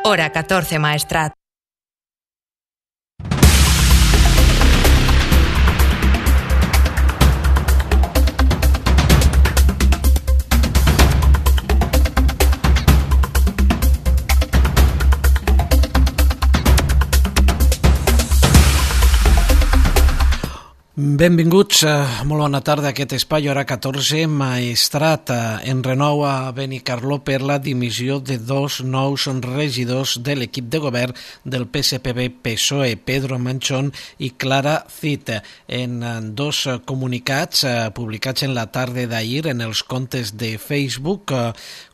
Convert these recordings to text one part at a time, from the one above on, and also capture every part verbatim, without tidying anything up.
Hora catorce, Maestrat. Benvinguts, molt bona tarda a aquest espai, hora catorze, Maestrat. En renou a Benicarló per la dimissió de dos nous regidors de l'equip de govern del P S P B-P S O E, Pedro Manchón i Clara Cid. En dos comunicats publicats en la tarda d'ahir en els comptes de Facebook,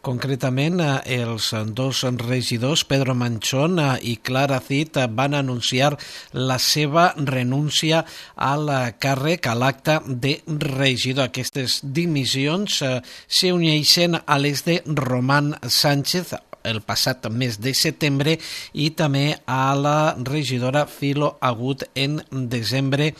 concretament els dos regidors, Pedro Manchón i Clara Cid, van anunciar la seva renúncia a la càrrec a l'acte de regidor. Aquestes dimissions eh, s'uneixen a les de Román Sánchez el passat mes de setembre i també a la regidora Filo Agut en desembre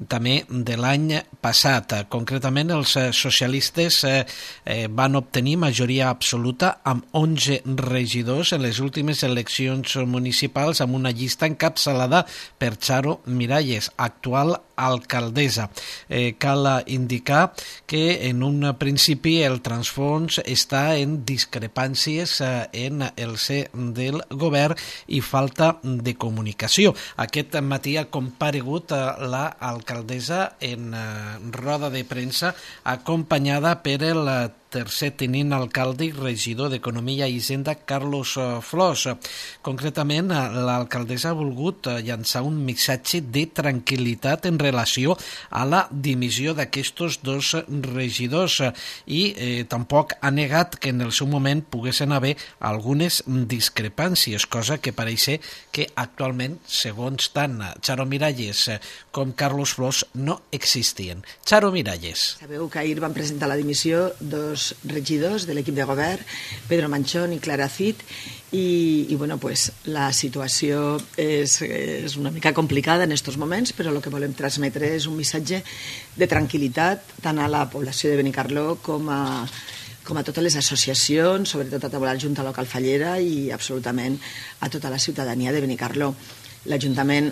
també de l'any passat. Concretament, els socialistes eh, eh, van obtenir majoria absoluta amb onze regidors en les últimes eleccions municipals, amb una llista encapçalada per Charo Miralles, actual alcaldessa. Eh, cal indicar que en un principi el transfons està en discrepàncies eh, en el ser del govern i falta de comunicació. Aquest matí ha comparegut l'alcaldessa en roda de premsa acompanyada per el tercer tenint alcalde i regidor d'Economia i Hisenda, Carlos Flors. Concretament, l'alcaldessa ha volgut llançar un missatge de tranquil·litat en relació a la dimissió d'aquests dos regidors i eh, tampoc ha negat que en el seu moment poguessin haver algunes discrepàncies, cosa que pareix que actualment, segons tant Charo Miralles com Carlos Flors, no existien. Charo Miralles. Sabeu que ahir van presentar la dimissió dos regidors de l'equip de govern, Pedro Manchón i Clara Cid, i, i bueno, pues, la situació és, és una mica complicada en aquests moments, però el que volem transmetre és un missatge de tranquil·litat tant a la població de Benicarló com a com a totes les associacions, sobretot a tota la Junta Local Fallera i absolutament a tota la ciutadania de Benicarló. L'Ajuntament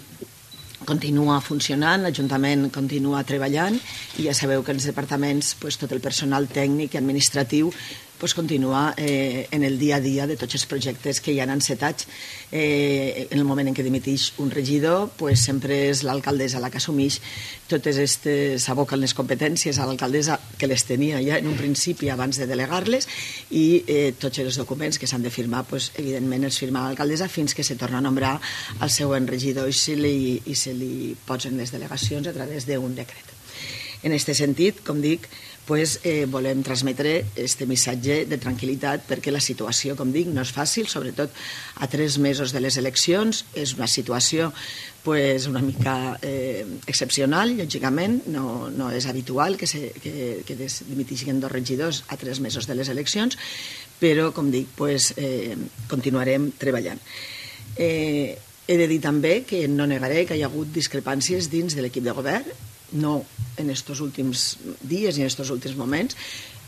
continua funcionant, l'Ajuntament continua treballant i ja sabeu que en els departaments pues, tot el personal tècnic i administratiu pues, continua eh, en el dia a dia de tots els projectes que hi han encetats. Eh, en el moment en què dimiteix un regidor, pues, sempre és l'alcaldessa la que assumeix totes aquestes, aboquen les competències a l'alcaldessa que les tenia ja en un principi abans de delegar-les i eh, tots els documents que s'han de firmar, pues, evidentment els firma l'alcaldessa fins que se torna a nombrar el següent regidor i se li, i se li posen les delegacions a través d'un decret. En aquest sentit, com dic, pues, eh, volem transmetre este missatge de tranquil·litat perquè la situació, com dic, no és fàcil, sobretot a tres mesos de les eleccions. És una situació pues, una mica eh, excepcional, lògicament, no, no és habitual que, se, que, que dimitixin dos regidors a tres mesos de les eleccions, però, com dic, pues, eh, continuarem treballant. Eh, he de dir també que no negaré que hi ha hagut discrepàncies dins de l'equip de govern, no en aquests últims dies i en aquests últims moments.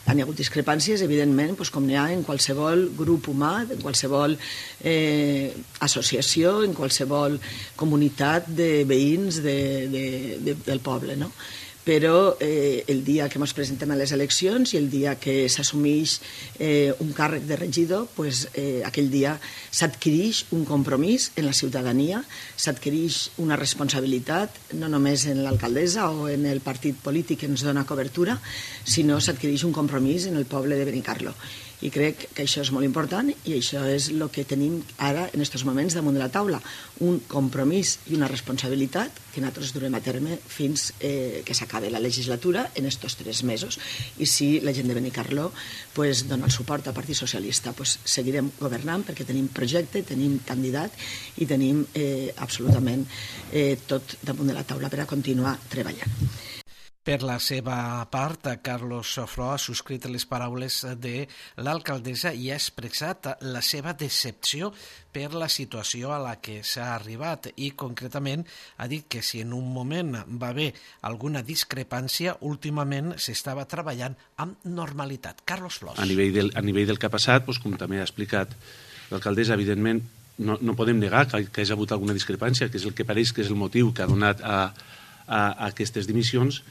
Han hi hagut discrepàncies, evidentment, doncs com n'hi ha en qualsevol grup humà, en qualsevol eh, associació, en qualsevol comunitat de veïns de, de, de, del poble, no? Però eh, el dia que ens presentem a les eleccions i el dia que s'assumeix eh, un càrrec de regidor, pues, eh, aquell dia s'adquireix un compromís en la ciutadania, s'adquireix una responsabilitat, no només en l'alcaldessa o en el partit polític que ens dona cobertura, sinó s'adquireix un compromís en el poble de Benicarló. I crec que això és molt important i això és el que tenim ara en aquests moments damunt de la taula, un compromís i una responsabilitat que nosaltres durem a terme fins eh, que s'acabi la legislatura en aquests tres mesos. I si la gent de Benicarló pues, dona el suport al Partit Socialista, pues, seguirem governant perquè tenim projecte, tenim candidat i tenim eh, absolutament eh, tot damunt de la taula per a continuar treballant. Per la seva part, Carlos Flors ha subscrit les paraules de l'alcaldessa i ha expressat la seva decepció per la situació a la que s'ha arribat i, concretament, ha dit que si en un moment va haver alguna discrepància, últimament s'estava treballant amb normalitat. Carlos Flors. A nivell del, a nivell del que ha passat, doncs, com també ha explicat l'alcaldessa, evidentment, no, no podem negar que, que hi ha hagut alguna discrepància, que és el que pareix que és el motiu que ha donat a, a, a aquestes dimissions,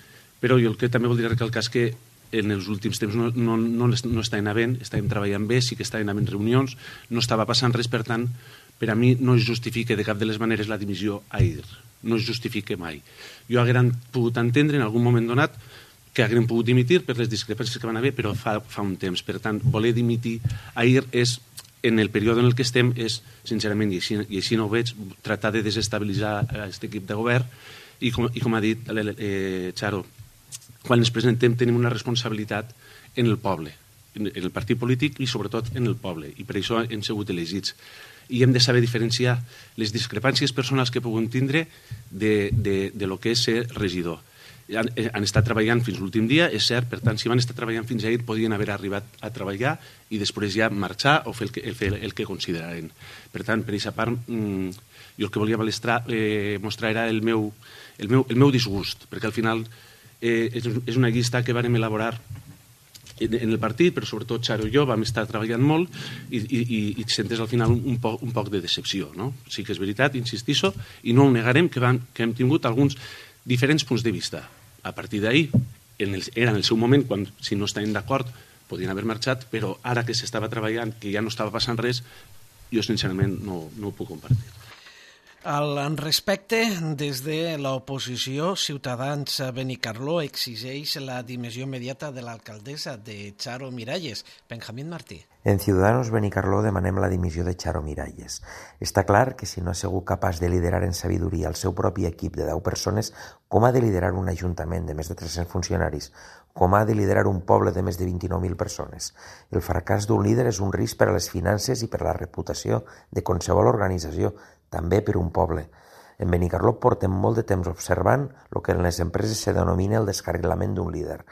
però jo el que també voldria recalcar és que en els últims temps no, no, no, no està anant bé, estàvem treballant bé, sí que estàvem en reunions, no estava passant res, per tant, per a mi no es justifica de cap de les maneres la dimissió ahir, no es justifica mai. Jo haguera pogut entendre en algun moment donat que haguem pogut dimitir per les discrepàncies que van haver, però fa, fa un temps. Per tant, voler dimitir ahir és, en el període en el que estem, és, sincerament, i així, i així no ho veig, tractar de desestabilitzar aquest equip de govern i, com, i com ha dit eh, Charo, quan ens presentem tenim una responsabilitat en el poble, en el partit polític i sobretot en el poble, i per això hem sigut elegits. I hem de saber diferenciar les discrepàncies personals que puguem tindre de, de, de lo que és ser regidor. Han, han estat treballant fins l'últim dia, és cert, per tant, si van estar treballant fins ahir, podien haver arribat a treballar i després ja marxar o fer el que, el, el que consideraren. Per tant, per aquesta part, mmm, jo el que volia balestrar, eh, mostrar era el meu, el, meu, el meu disgust, perquè al final eh, és, és una llista que vàrem elaborar en, en el partit, però sobretot Charo i jo vam estar treballant molt i, i, i, i sentes al final un, un, poc, un poc de decepció, no? Sí que és veritat, insistisso, i no ho negarem que, van, que hem tingut alguns diferents punts de vista. A partir d'ahir, era en el seu moment, quan si no estaven d'acord podien haver marxat, però ara que s'estava treballant, que ja no estava passant res, jo sincerament no, no ho puc compartir. Al respecte, des de l'oposició, Ciutadans Benicarló exigeix la dimissió immediata de l'alcaldessa de Charo Miralles. Benjamín Martí. En Ciudadanos Benicarló demanem la dimissió de Charo Miralles. Està clar que si no ha sigut capaç de liderar en sabidoria el seu propi equip de deu persones, com ha de liderar un ajuntament de més de tres-cents funcionaris? Com ha de liderar un poble de més de vint-i-nou mil persones? El fracàs d'un líder és un risc per a les finances i per a la reputació de qualsevol organització, també per un poble. En Benicarló portem molt de temps observant el que en les empreses se denomina el descarrilament d'un líder.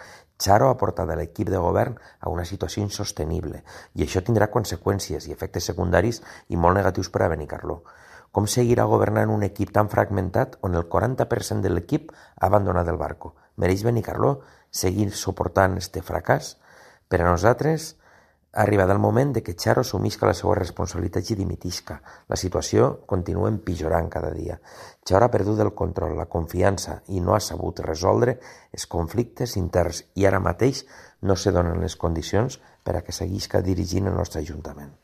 Charo ha portat l'equip de govern a una situació insostenible i això tindrà conseqüències i efectes secundaris i molt negatius per a Benicarló. Com seguirà governant un equip tan fragmentat on el quaranta per cent de l'equip ha abandonat el barco? Mereix Benicarló seguir suportant este fracàs? Per a nosaltres ha arribat el moment de que Charo assumisca la seva responsabilitat i dimitisca. La situació continua empitjorant cada dia. Charo ha perdut el control, la confiança i no ha sabut resoldre els conflictes interns i ara mateix no se donen les condicions per a que seguisca dirigint el nostre Ajuntament.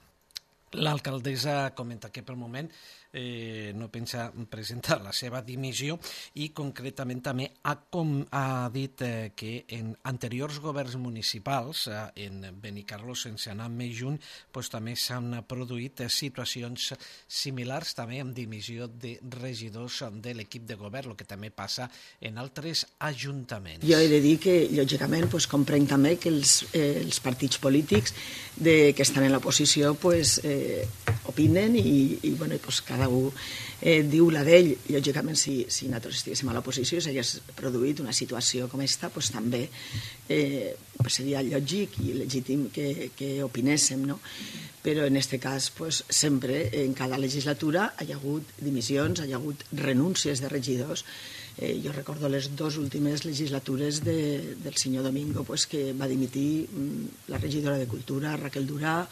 L'alcaldessa comenta que pel moment eh, no pensa presentar la seva dimissió i concretament també ha, com, ha dit eh, que en anteriors governs municipals, eh, en Benicarló sense anar més junt, pues, també s'han produït eh, situacions similars també amb dimissió de regidors de l'equip de govern, el que també passa en altres ajuntaments. Jo he de dir que, lògicament, pues, comprenc també que els, eh, els partits polítics de, que estan en l'oposició pues, eh, opinen i, i bueno, pues, cada un eh, diu la d'ell. Lògicament, si, si nosaltres estiguéssim a l'oposició i s'hagués produït una situació com aquesta, pues, també eh, pues, seria lògic i legítim que, que opinéssim, no? Però en aquest cas, pues, sempre, en cada legislatura, hi ha hagut dimissions, hi ha hagut renúncies de regidors. Eh, jo recordo les dues últimes legislatures de, del senyor Domingo, pues, que va dimitir mm, la regidora de Cultura, Raquel Durà,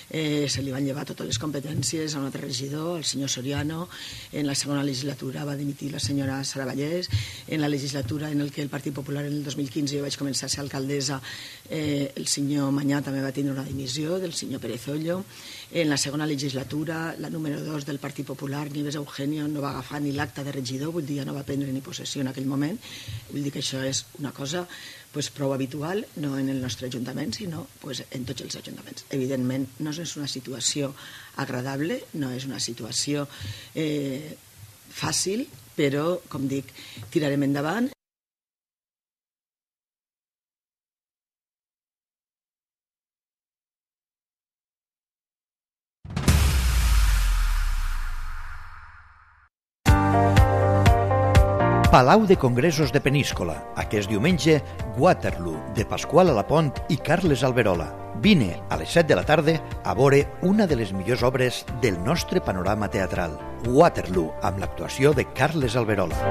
eh, se li van llevar totes les competències a un altre regidor, el senyor Soriano. En la segona legislatura va dimitir la senyora Sara Vallès. En la legislatura en el que el Partit Popular en el dos mil quinze jo vaig començar a ser alcaldessa, eh, el senyor Manyà també va tenir una dimissió del senyor Pérez Ollo. En la segona legislatura, la número dos del Partit Popular, Nieves Eugenio, no va agafar ni l'acta de regidor, vull dir, ja no va prendre ni possessió en aquell moment. Vull dir que això és una cosa pues, prou habitual, no en el nostre ajuntament, sinó pues, en tots els ajuntaments. Evidentment, no és una situació agradable, no és una situació eh, fàcil, però, com dic, tirarem endavant. Palau de Congressos de Peníscola. Aquest diumenge, Waterloo, de Pasqual Alapont i Carles Alberola. Vine a les set de la tarda a veure una de les millors obres del nostre panorama teatral. Waterloo, amb l'actuació de Carles Alberola.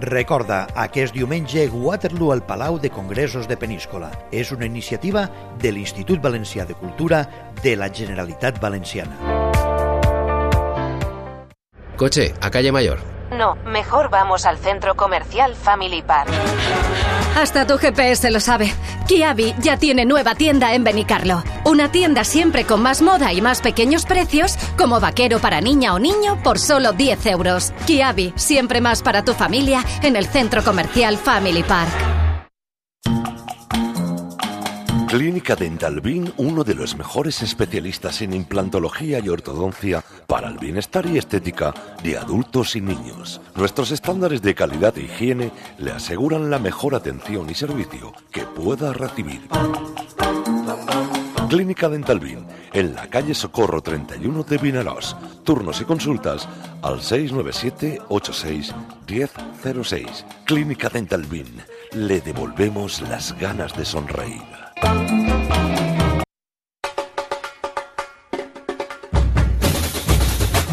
Recorda, aquest diumenge, Waterloo al Palau de Congressos de Peníscola. És una iniciativa de l'Institut Valencià de Cultura de la Generalitat Valenciana. Coche, a calle Mayor. No, mejor vamos al centro comercial Family Park. Hasta tu G P S lo sabe. Kiabi ya tiene nueva tienda en Benicarlo. Una tienda siempre con más moda y más pequeños precios, como vaquero para niña o niño por solo diez euros. Kiabi, siempre más para tu familia en el centro comercial Family Park. Clínica Dental Bin, uno de los mejores especialistas en implantología y ortodoncia para el bienestar y estética de adultos y niños. Nuestros estándares de calidad e higiene le aseguran la mejor atención y servicio que pueda recibir. Clínica Dental Bin, en la calle Socorro treinta y uno de Vinaròs. Turnos y consultas al seis nueve siete, ocho seis, diez cero seis. Clínica Dental Bin, le devolvemos las ganas de sonreír.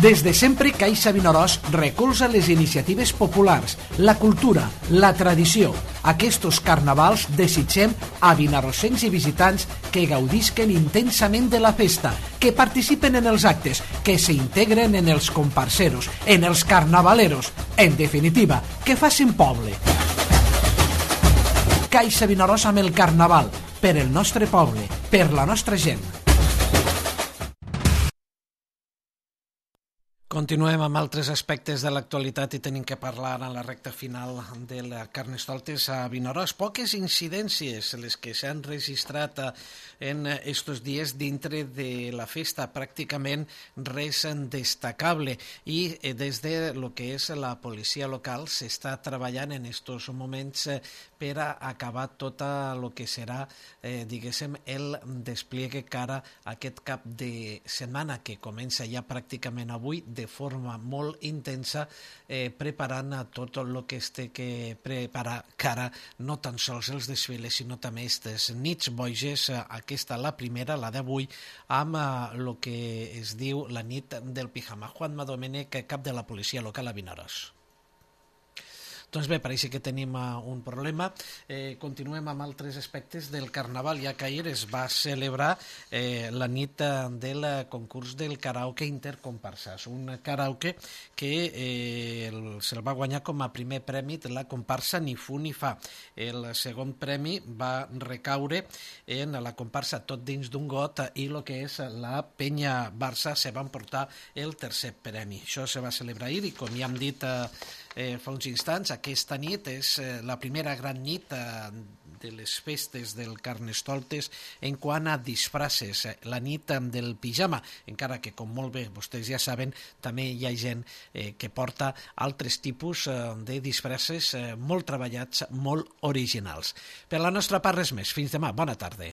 Des de sempre, Caixa Vinaròs recolza les iniciatives populars, la cultura, la tradició. Aquests carnavals desitgem a vinaròsencs i visitants que gaudisquen intensament de la festa, que participen en els actes, que s'integren en els comparseros, en els carnavaleros, en definitiva, que facin poble. Caixa Vinaròs amb el carnaval, per el nostre poble, per la nostra gent. Continuem amb altres aspectes de l'actualitat i tenim que parlar en la recta final de la Carnestoltes a Vinaròs. Poques incidències les que s'han registrat en estos dies dintre de la festa, pràcticament res destacable, i des de lo que és la policia local s'està treballant en estos moments per a acabar tot el que serà, eh, diguéssim, el despliegue cara a aquest cap de setmana que comença ja pràcticament avui de forma molt intensa, eh, preparant a tot el que es té que preparar cara no tan sols els desfiles, sinó també aquestes nits boges, aquesta la primera, la d'avui, amb el que es diu la nit del pijama. Juanma Domènech, cap de la policia local a Vinaròs. Doncs bé, pareix que tenim un problema. Eh, continuem amb altres aspectes del Carnaval, ja que ahir es va celebrar eh, la nit del concurs del karaoke intercomparsas, un karaoke que eh, se'l va guanyar com a primer premi de la comparsa Ni Fu Ni Fa. El segon premi va recaure en la comparsa Tot dins d'un got i el que és la Penya Barça se va emportar el tercer premi. Això se va celebrar ahir i, com ja hem dit eh, Eh, fa uns instants, aquesta nit és eh, la primera gran nit eh, de les festes del Carnestoltes en quant a disfraces, eh, la nit eh, del pijama, encara que, com molt bé vostès ja saben, també hi ha gent eh, que porta altres tipus eh, de disfraces eh, molt treballats, molt originals. Per la nostra part, res més. Fins demà. Bona tarda.